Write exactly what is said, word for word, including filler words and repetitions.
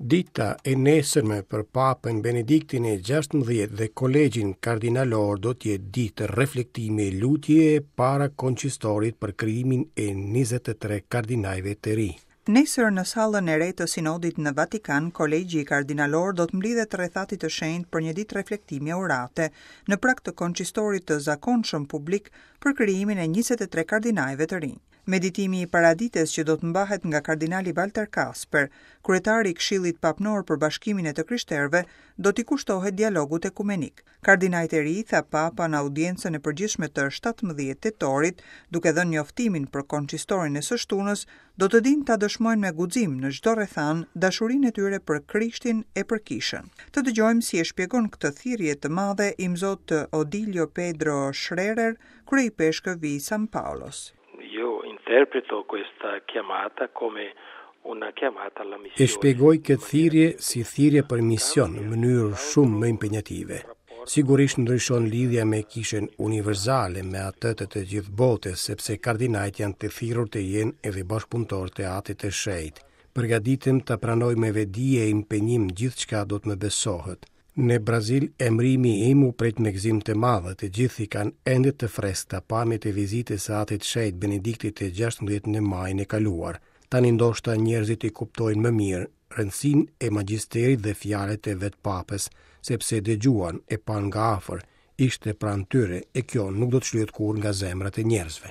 Dita e nesërme për Papën Benediktin e gjashtëmbëdhjetë dhe Kolegjin Kardinalor do të jetë ditë reflektimi e lutje para koncistorit për krijimin e njëzet e tre kardinajve të ri. Nesër në sallën e re të Sinodit në Vatikan, Kolegji Kardinalor do të mblidhet rreth Atit të Shenjtë për një ditë reflektimi orate, në prag të koncistorit të zakonshëm publik për krijimin e njëzet e tre kardinajve të rinj. Meditimi i paradites që do të mbahet nga kardinali Walter Kasper, kryetari i Këshillit Papnor për Bashkimin e të Krishterëve, do t'i kushtohet dialogut ekumenik. Kardinajt e ri, tha Papa në audiencën e përgjithshme të shtatëmbëdhjetë tetorit, duke dhënë njoftimin për koncistorin e së shtunës, do të dinë ta dëshmojnë me guxim në çdo rrethan dashurinë e tyre për Krishtin e për Kishën. Të dëgjojmë si e shpjegon këtë thirrje të madhe imzot Odilio Pedro Schrerer, kryepeshkëvi i San Paolos. Io interpreto questa chiamata come una chiamata alla missione. E shpjegoj këtë thirrje si thirrje për mision në mënyrë shumë më impenjative. Sigurisht ndryshon lidhja me kishën universale, me atë të të gjithë botës, sepse kardinajt janë të thirrur të jenë edhe bashkëpunëtorë të Atit të Shenjtë. Përgatitem ta pranoj me vetëdije e impenjim gjithçka do të më besohet. Në Brazil, emrimi im u prit me gëzim të madh, të gjithë i kanë ende të freskëta pamjet e vizitës së Atit Shenjt Benediktit të gjashtëmbëdhjetë në majin e kaluar. Tani ndoshta njerëzit i kuptojnë më mirë rëndësinë e magjisterit dhe fjalët e vetë papës, sepse dëgjuan e panë nga afër, ishte pranë tyre e kjo nuk do të shlyhet kurrë nga zemrat e njerëzve.